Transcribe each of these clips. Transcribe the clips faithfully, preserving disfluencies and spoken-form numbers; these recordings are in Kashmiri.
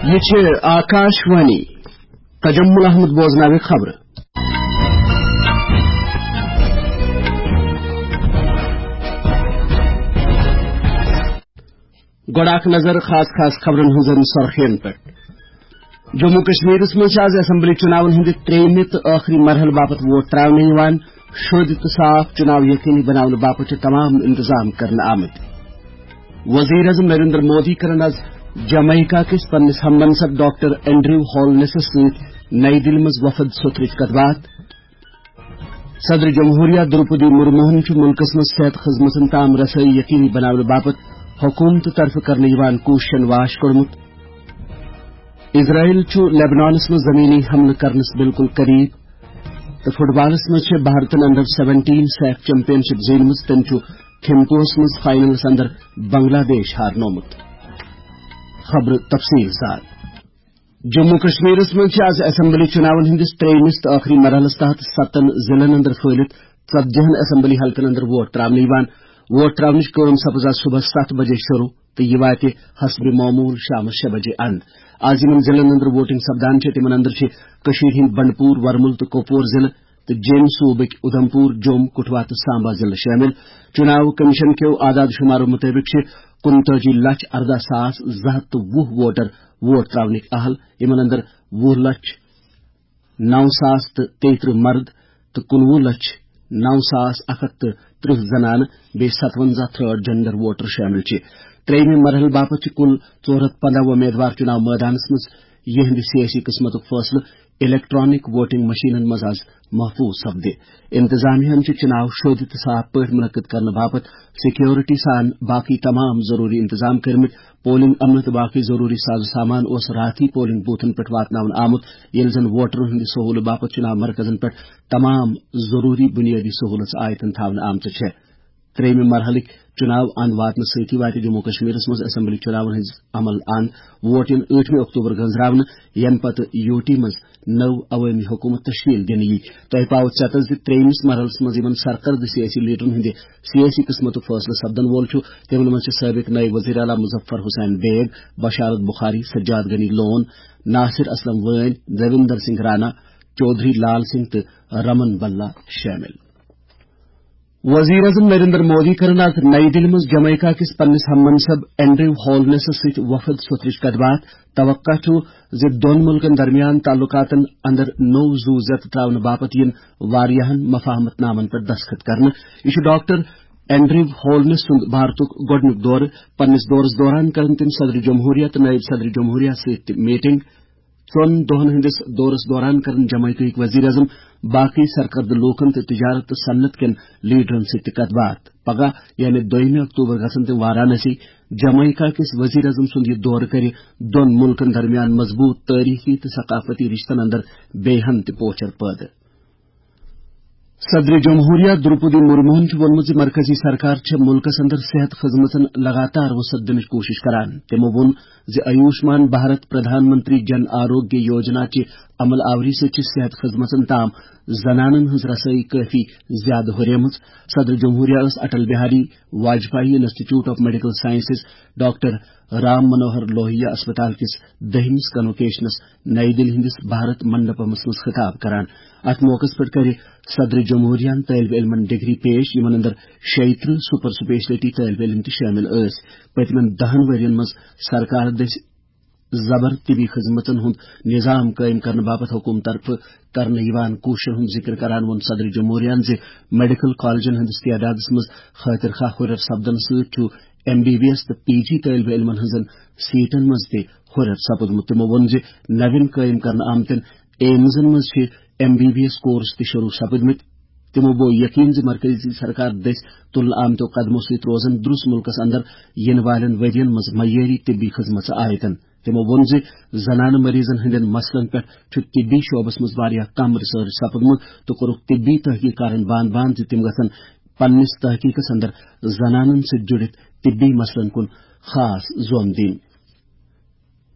یہ چھِ آکاش وانی۔ تجمل احمد بوزناوِ خبرٕ۔ گۄڈٕ اکھ نظر خاص خاص خبرن ہٕنٛزن سرخین پٮ۪ٹھ۔ جموں کشمیرس منٛز چھِ از اسمبلی چُناون ہٕنٛدِ ترٛیٚیِمہِ تہٕ ٲخری مرحلہٕ باپتھ ووٹ ترٛاونہٕ یِوان۔ شوٚدۍ تہٕ صاف چُناو یقینی بناونہٕ باپتھ چھِ تمام انتظام کرنہٕ آمٕتۍ۔ وزیر اعظم نریندر مودی کرن از جمیکا کِس پننِس ہم منصب ڈاکٹر اینڈریو ہالنسس سۭتۍ نئی دِلہِ منٛز وفد سوٚتھرٕچ کتھ باتھ۔ صدر جمہوریہ درپدی مرموہن چھُ مُلکس منٛز صحت خدمتن تام رسٲیی یقینی بناونہٕ باپتھ حکومتہٕ طرفہٕ کرنہٕ یِوان کوٗششن واش کوٚڑمُت۔ اسرائیل چھُ لیبنانس منٛز زمینی حملہٕ کرنس بالکل قریب۔ تہٕ فٹ بالس منٛز چھِ بھارتن انڈر سیونٹین سیف چیمپین شپ زیٖنمٕژ۔ تٔمۍ چھُ تھمپوہس منٛز فائنلس اندر بنگلہ دیش ہارنومُت۔ خبرٕ تفصیل سان۔ جموں کشمیرس منٛز چھِ از اسمبلی چُناون ہٕنٛدِس ترٛیٚیمِس تہٕ ٲخری مرحلس تحت ستن ضلعن اندر پھٲلِتھ ژتجی ہن اسمبلی حلقن اندر ووٹ ترٛاونہٕ یِوان۔ ووٹ ترٛاونٕچ کٲم سپٕز از صبحس ستھ بجے شروع تہٕ یہِ واتہِ حسب معمول شامس شےٚ بجے اند۔ از یِمن ضلعن اندر ووٹنگ سپدان چھِ، تِمن اندر چھِ کٔشیٖرِ ہٕنٛدۍ بنڈپوٗر، ورمُل تہٕ کۄپور ضلعہٕ تہٕ جیٚمۍ صوٗبٕکۍ اُدھمپوٗر، جوٚم، کٹھوا تہٕ سامبا ضلعہٕ شٲمِل۔ چُناو کمیشن کیو اعداد شُمارو مُطٲبِق چھِ کُنتٲجی لچھ ارداہ ساس زٕ ہتھ تہٕ وُہ ووٹر ووٹ ترٛاونٕکۍ اہل، یِمن اندر وُہ لچھ نو ساس تہٕ تیٚیہِ ترٕٛہ مرد تہٕ کُنوُہ لچھ نو ساس اکھ ہتھ تہٕ ترٕٛہ زنانہٕ، بیٚیہِ ستونزہ تھرڈ جینڈر ووٹر شٲمِل چھِ۔ ترٛیٚیِمہِ مرحلہٕ باپتھ چھِ کُل ژور ہتھ پنٛداہ وۄمیدوار چُناو مٲدانس منٛز۔ یِہنٛدِ سیٲسی قٕسمتُک فٲصلہٕ الیکٹرانک ووٹنگ مشینن منٛز از محفوظ سپدِ۔ انتظامیہ ہن چھِ چُناو شوٚدۍ تہٕ صاف پٲٹھۍ منعقد کرنہٕ باپتھ سیکیورٹی سان باقٕے تمام ضروٗری انتظام کٔرمٕتۍ۔ پولنگ عملہٕ تہٕ باقٕے ضروٗری ساز و سامان اوس راتھٕے پولنگ بوتھن پٮ۪ٹھ واتناونہٕ آمُت، ییٚلہِ زن ووٹرن ہٕنٛدِ سہولہٕ باپتھ چُناو مرکزن پٮ۪ٹھ تمام ضروٗری بُنیٲدی سہوٗلژٕ آیتن تھاونہٕ آمژٕ چھےٚ۔ ترٛیٚیِمہِ مرحلٕکۍ چُناو اند واتنہٕ سۭتی واتہِ جموں کشمیرس منٛز اسمبلی چُناون ہٕنٛز عمل اند ووٹ یِن ٲٹھمہِ اکتوبر گٔنزراونہٕ، ییٚمہِ پتہٕ یوٗ ٹی منٛز نٔو عوٲمی حکوٗمت تشکیل دِنہٕ یی۔ تۄہہِ پاوٕ ژٮ۪تس زِ ترٛیٚیمِس مرحلس منٛز یِمن سرکردٕ سیٲسی لیڈرن ہٕنٛدِ سیٲسی قٕسمتُک فٲصلہٕ سپدن وول چھُ، تِمن منٛز چھِ سٲبق نٲیِب وزیر اعلیٰ مظفر حسین بیگ، بشارت بخاری، سجاد غنی لون، ناصر اسلم وٲنۍ، دیویندر سنگھ رانا، چودھری لال سنگھ تہٕ رمن بلا شٲمِل۔ وزیر اعظم نریندر مودی کرن آز نئی دِلہِ منٛز جمیکا کِس پننِس ہم منصب اینڈریو ہالنسس سۭتۍ وفد سوٚتھرٕچ کتھ باتھ۔ توقع چھُ زِ دۄن مُلکن درمیان تعلقاتن اندر نوٚو زُو زیتہٕ تراونہٕ باپتھ یِن واریاہن مفاہمت نامن پٮ۪ٹھ دستخط کرنہٕ۔ یہِ چھُ ڈاکٹر اینڈریو ہولنس سُنٛد بھارتُک گۄڈٕنیُک دورٕ۔ پننِس دورس دوران کرن تِم صدر جمہوریہ تہٕ نٲیِب صدر جمہوریہ سۭتۍ تہِ میٹنگ۔ ژۄن دۄہن ہٕنٛدِس دورس دوران کرن جمعیتٕکۍ وزیر اعظم باقٕے سرکردٕ لوٗکن تہٕ تجارت تہٕ صنعت کٮ۪ن لیڈرن سۭتۍ تہِ کتھ باتھ۔ پگاہ، یعنی دوٚیمہِ اکتوبر، گژھن تِم وارانسی۔ جمعیکا کِس وزیر اعظم سُنٛد یہِ دورٕ کرِ دۄن مُلکن درمیان مضبوٗط تٲریخی تہٕ ثقافتی رشتن اندر بیٚیہِ ہن تہِ پوچھر پٲدٕ۔ صدر جمہوریہ درپدی مرموہن چھُ ووٚنمُت زِ مرکزی سرکار چھےٚ مُلکس اندر صحت خدمتن لگاتار وسعت دِنٕچ کوٗشش کران۔ تِمو ووٚن زِ آیوشمان بھارت پردھان منتری جن آروگیہ یوجنا چہِ عمل آوری سۭتۍ چھِ صحت خدمتن تام زنانن ہٕنٛز رسٲیی کٲفی زیادٕ ہُریمٕژ۔ صدر جمہوریہ ٲس Atal Bihari Vajpayee institute of medical sciences doctor Ram Manohar Lohia اسپتال کِس دٔہمِس کنوکیشنس نئی دِلہِ ہٕنٛدِس بھارت منڈپمس منٛز خطاب کران۔ اتھ موقعس پٮ۪ٹھ کرِ صدر جمہوریہن طٲلب علمن ڈگری پیش، یِمن اندر شیٚیہِ ترٕٛہ سپر سپیشلٹی طٲلب علم تہِ شٲمِل ٲسۍ۔ پٔتمٮ۪ن دَہن ؤرین منٛز سرکار دٔسۍ زبر طبی خدمتن ہُنٛد نظام قٲیِم کرنہٕ باپتھ حکوٗمت طرفہٕ کرنہٕ یِوان کوٗششن ہُنٛد ذِکر کران ووٚن صدر جمہوریہن زِ میڈیکل کالجن ہٕنٛدِس تعدادس منٛز خٲطر خواہ ہُرٮ۪ر سپدنہٕ سۭتۍ چھُ ایم بی بی ایس تہٕ پی جی طٲلب علمن ہٕنٛزن سیٹن منٛز تہِ ہُرٮ۪ر سپُدمُت۔ تِمو ووٚن زِ نوٮ۪ن قٲیِم کرنہٕ آمتٮ۪ن ایمزن منٛز چھِ M B B S course تہِ شروع سپٕدمٕتۍ۔ تِمو بوو یقین زِ مرکزی سرکار دٔسۍ تُلنہٕ آمتیو قدمو سۭتۍ روزن درُس مُلکس اندر یِنہٕ والٮ۪ن ؤرین منٛز معیٲری طبی خدمژٕ آیتن۔ تِمو ووٚن زِ زنانہٕ مریضن ہٕنٛدٮ۪ن مسلن پٮ۪ٹھ چھُ طبی شعبس منٛز واریاہ کم ریسرچ سپُدمُت تہٕ کوٚرُکھ طبی تحقیقارن باند باند زِ تِم گژھن پننِس تحقیقس اندر زنانن سۭتۍ جُڑِتھ طبی مسلن کُن خاص زوم دِنۍ۔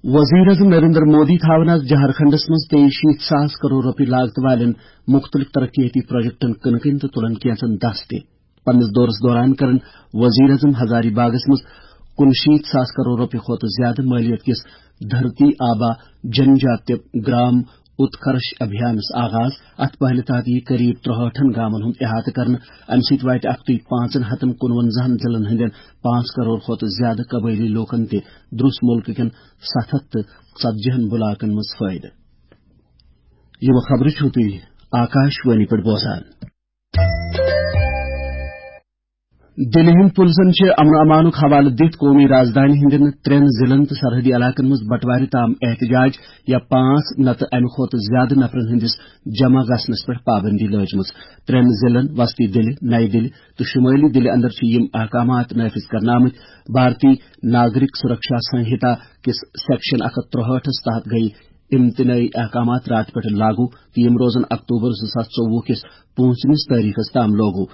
وزیر اعظم نریندر مودی تھاون آز جھارکھنڈس منٛز تیٚیہِ شیٖتھ ساس کرور رۄپیہِ لاگتہٕ والٮ۪ن مُختٔلِف ترقیتی پروجیکٹن کٕنہٕ کٕنۍ تہٕ تُلن کینٛژن دس تہِ۔ پننِس دورس دوران کرن وزیر اعظم ہزاری باغس منٛز کُنشیٖتھ ساس کرور رۄپیہِ کھۄتہٕ زیادٕ مٲلیت کِس دھرتی آبا جن جاتیہ گرام اتکرش ابھیانس آغاز۔ اتھ پہلہِ تحت یی قریب ترٛہٲٹھن گامن ہُنٛد احاطہٕ کرنہٕ۔ امہِ سۭتۍ واتہِ اکھتُے پانٛژن ہتن کُنونزہن ضلعن ہٕنٛدٮ۪ن پانٛژھ کرور کھۄتہٕ زیادٕ قبٲیلی لوٗکن تہِ دروس مُلکہٕ کٮ۪ن ستھ ہتھ تہٕ ژتجی ہن بلاکن منٛز فٲیدٕ۔ یِم خبرٕ چھِو تُہۍ آکاش وانی پٮ۪ٹھ بوزان۔ دِلہِ ہٕنٛدۍ پُلسن چھِ امن امانُک حوالہٕ دِتھ قومی رازدانہِ ہٕنٛدٮ۪ن ترٛٮ۪ن ضلعن تہٕ سرحدی علاقن منٛز بٹوارِ تام احتجاج یا پانٛژھ نتہٕ امہِ کھۄتہٕ زیادٕ نفرن ہٕنٛدِس جمع گژھنس پٮ۪ٹھ پابندی لٲجمٕژ۔ ترٛٮ۪ن ضلعن وسطی دِلہِ، نَیہِ دِلہِ تہٕ شُمٲلی دِلہِ اندر چھِ یِم احکامات نافذ کرنہٕ آمٕتۍ۔ بھارتی ناگرک سرکشا سنہتا کِس سیکشن اکھ ہتھ ترٛہٲٹھس تحت گٔیہِ امتنٲعی احکامات راتہٕ پٮ۪ٹھ لاگو تہٕ یِم روزن اکتوبر زٕ ساس ژوٚوُہ کِس پوٗنٛژمِس تٲریخس تام لاگو۔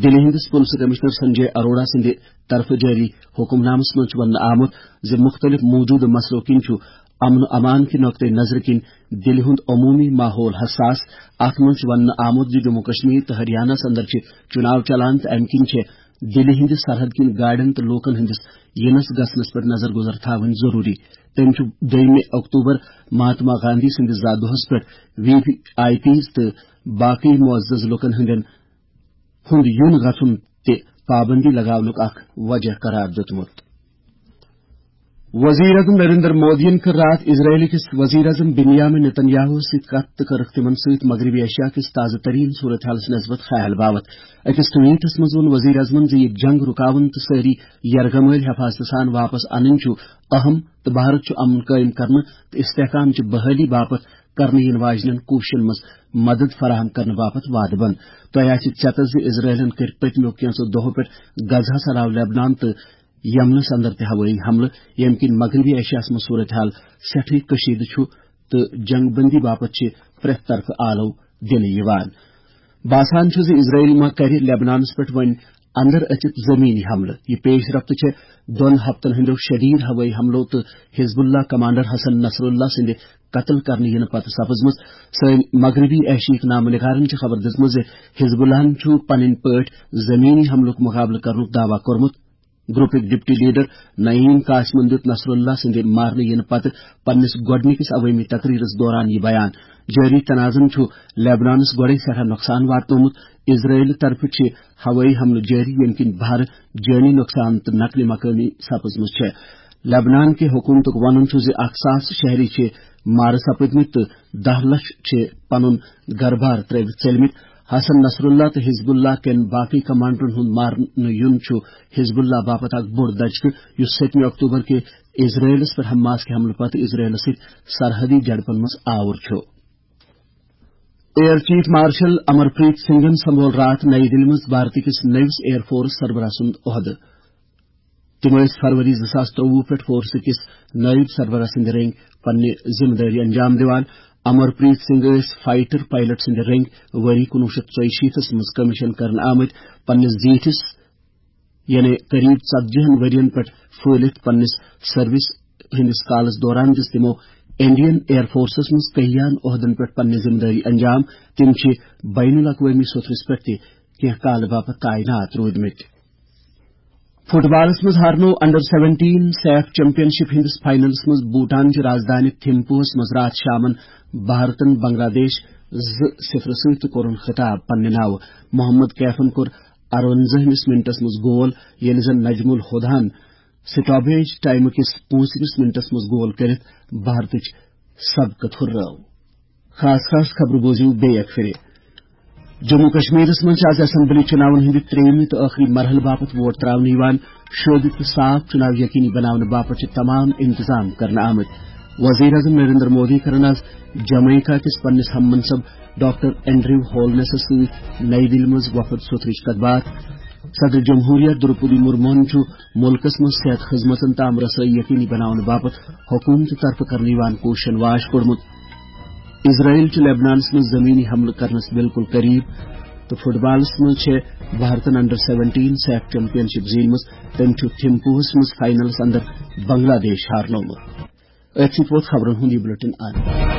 دِلہِ ہٕنٛدِس پُلسہٕ کمشنر سنجے اروڑا سٕنٛدِ طرفہٕ جٲری حکمنامس منٛز چھُ وننہٕ آمُت زِ مُختٔلِف موٗجوٗدٕ مسلو کِنۍ چھُ امن و امان کہِ نقطہٕ نظرٕ کِنۍ دِلہِ ہُنٛد عموٗمی ماحول حساس۔ اتھ منٛز چھُ وننہٕ آمُت زِ جموں کشمیر تہٕ ہریانس اندر چھِ چُناو چلان تہٕ امہِ کِنۍ چھِ دِلہِ ہٕنٛدِ سرحد کِنۍ گاڑٮ۪ن تہٕ لوٗکن ہٕنٛدِس یِنس گژھنس پٮ۪ٹھ نظر گُزر تھاوٕنۍ ضروٗری۔ تٔمۍ چھُ دوٚیمہِ اکتوبر مہاتما گاندھی سٕنٛدِس زا دۄہس پٮ۪ٹھ وی آئی پیز تہٕ باقٕے معزز لوٗکن ہٕنٛدٮ۪ن ہُنٛد یُن گژھُن تہِ پابندی لگاونُک اکھ وجہ قرار دیُتمُت۔ وزیر اعظم نریندر مودیَن کٔر راتھ اسرائیل کِس وزیر اعظم بنیامین نتن یاہوس سۭتۍ کتھ تہٕ کٔرٕکھ تِمن سۭتۍ مغربی ایشیا کِس تازٕ ترین صورتحالس نسبت خیال باوت۔ أکِس ٹویٹس منٛز ووٚن وزیر اعظمن زِ یہِ جنگ رُکاوُن تہٕ سٲری یرغمٲلۍ حفاظتہٕ سان واپس انٕنۍ چھُ اہم تہٕ بھارت چھُ امن قٲیِم کرنہٕ تہٕ استحکام چہِ بحٲلی باپتھ کرنہٕ یِنہٕ واجنٮ۪ن کوٗششن منٛز مدد فراہم کرنہٕ باپتھ وعدٕ بنٛد۔ تۄہہِ آسہِ ژیتس زِ اسرائیلن کٔرۍ پٔتمیو کینٛژو دۄہو پٮ۪ٹھ غزہس علاوٕ لبنان تہٕ یمنس اندر تہِ ہوٲیی حملہٕ، ییٚمہِ کِنۍ مغربی ایشیاہس منٛز صورتحال سٮ۪ٹھٕے کشیدٕ چھُ تہٕ جنگ بندی باپتھ چھِ پرٛٮ۪تھ طرفہٕ آلو دِنہٕ یِوان۔ باسان چھُ زِ اسرائیل ما کرِ لبنانس پٮ۪ٹھ وۄنۍ اندر أژِتھ زمینی حملہٕ۔ یہِ پیش رفت چھےٚ دۄن ہفتن ہٕنٛدیو شدید ہوٲیی حملو تہٕ حزب اللہ کمانڈر حسن نصر اللہ سٕنٛدِ قتل کرنہٕ یِنہٕ پتہٕ سپٕزمٕژ۔ سٲنۍ مغربی ایشیاہٕکۍ نامہ نگارن چھِ خبر دِژمٕژ زِ حزب اللہن چھُ پنٕنۍ پٲٹھۍ زمینی حملُک مقابلہٕ کرنُک دعویٰ کوٚرمُت۔ گروپٕکۍ ڈپٹی لیڈر نعیم قاسمن دیُت نصر اللہ سٕنٛدِ مارنہٕ یِنہٕ پتہٕ پننِس گۄڈٕنِکِس عوٲمی تقریرس دوران یہِ بیان۔ جٲری تنازن چھُ لیبنانس گۄڈے سٮ۪ٹھاہ نۄقصان واتنومُت۔ اسرائیل طرفہٕ چھِ ہوٲیی حملہٕ جٲری، ییٚمہِ کِنۍ بھارٕ جٲنی نۄقصان تہٕ نقلہِ مکٲنی سپٕزمٕژ چھےٚ۔ لیبنان کہِ حکومتُک وَنُن چھُ زِ اکھ ساس شہری چھِ مارٕ سپٕدمٕتۍ تہٕ دَہ لَچھ چھِ پنُن گرٕ بار ترٲوِتھ ژٔلمٕتۍ۔ حسن نصر اللہ تہٕ حزب اللہ کٮ۪ن باقٕے کمانڈرن ہُنٛد مارنہٕ یُن چھُ حزب اللہ باپتھ اکھ بوٚڑ دھچکہٕ، یُس سٔتمہِ اکتوبر کہِ اسرائیلس پٮ۪ٹھ حماس کہِ حملہٕ پتہٕ اسرائیلس سۭتۍ سرحدی جھڑپن منٛز آوُر چھُ۔ ایئر چیف مارشل امر پریت سنگھن سنبھول راتھ نئی دِلہِ منٛز بھارت کِس نٔوِس ایئر فورس سربراہ سُنٛد عہدٕ۔ تِم ٲسۍ فروری زٕ ساس ترٛۆوُہ پٮ۪ٹھ فورس کِس نٲیِب سربراہ سٕنٛدِ رٔنٛگۍ پننہِ ذمہٕ دٲری انجام دِوان۔ امر پریت سنگھ ٲسۍ فائٹر پائلٹ سٕنٛدِ رٔنٛگۍ ؤری کُنوُہ شیٚتھ ژۄیہِ شیٖتس منٛز کمیشن کرنہٕ آمٕتۍ۔ پننِس زیٖٹھِس، یعنی قریب ژتجی ہن ؤرین پٮ۪ٹھ پھٲلِتھ پننِس سروس ہٕنٛدِس کالس دوران دِژ تِمو انڈین ایئر فورسس منٛز کہیان عہدن پٮ۪ٹھ پننہِ ذمہٕ دٲری انجام۔ تِم چھِ بین الاقوٲمی سوٚتھرِس پٮ۪ٹھ تہِ کینٛہہ کالہٕ باپتھ تعینات روٗدمٕتۍ۔ فٹ بالس منٛز ہارنوو انڈر سیونٹین سیف چیمپین شپ ہٕنٛدِس فاینلس منٛز بھوٹان چہِ رازدانہِ تھمپوہس منٛز راتھ شامن بھارتن بنگلہ دیش زٕ صفر سۭتۍ تہٕ کوٚرُن خطاب پننہِ ناوٕ۔ محمد کیفن کوٚر ارونزٲہمِس منٹس منٛز گول، ییٚلہِ زن نجم الہداہن سٹاپیج ٹائمہٕ کِس پوٗنٛژمِس منٹس منٛز گول کٔرِتھ بھارتٕچ سبقت ہُررٲو۔ خاص خاص خبرٕ بوٗزِو بیٚیہِ اکہِ پھِرِ۔ جموں کشمیرس منٛز چھِ از اسمبلی چُناون ہٕنٛدِ ترٛیٚیِمہِ تہٕ ٲخری مرحلہٕ باپتھ ووٹ ترٛاونہٕ یِوان۔ شوٗبِتھ تہٕ صاف چُناو یقینی بناونہٕ باپتھ چھِ تمام انتظام کرنہٕ آمٕتۍ۔ وزیر اعظم نریندر مودی کرن از جمیکا کِس پننِس ہم منصب ڈاکٹر اینڈریو ہولنسس سۭتۍ نئی دِلہِ منٛز وفد سوٚتھرٕچ کتھ باتھ۔ صدر جمہوریہ دروپدی مرموہن چھُ مُلکس منٛز صحت خدمتن تام رسٲیی یقینی بناونہٕ باپتھ حکومتہٕ طرفہٕ کرنہٕ یِوان کوٗششن واش کوٚڑمُت۔ اسرائیل چھُ لیبنانس منٛز زمینی حملہٕ کرنس بالکل قریب تہٕ فٹ بالس منٛز چھےٚ بھارتن انڈر سیونٹین سیف چیمپین شپ زیٖنمٕژ۔ تٔمۍ چھُ تھمپوہس منٛز فاینلس اندر بنگلہ دیش ہارنوومُت۔ أتھۍ سۭتۍ ووت خبرن ہُنٛد یہِ بلیٹن اند۔